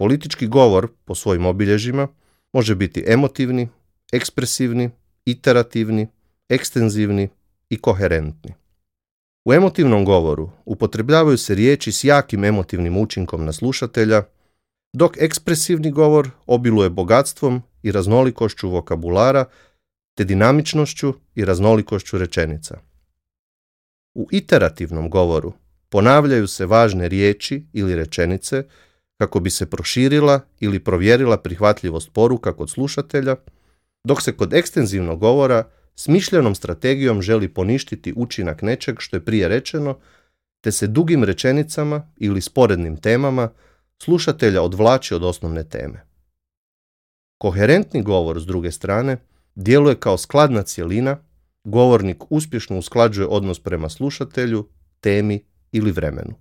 Politički govor, po svojim obilježjima, može biti emotivni, ekspresivni, iterativni, ekstenzivni i koherentni. U emotivnom govoru upotrebljavaju se riječi s jakim emotivnim učinkom na slušatelja, dok ekspresivni govor obiluje bogatstvom i raznolikošću vokabulara te dinamičnošću i raznolikošću rečenica. U iterativnom govoru ponavljaju se važne riječi ili rečenice kako bi se proširila ili provjerila prihvatljivost poruka kod slušatelja, dok se kod ekstenzivnog govora smišljenom strategijom želi poništiti učinak nečeg što je prije rečeno, te se dugim rečenicama ili sporednim temama slušatelja odvlači od osnovne teme. Koherentni govor, s druge strane, djeluje kao skladna cjelina, govornik uspješno usklađuje odnos prema slušatelju, temi ili vremenu.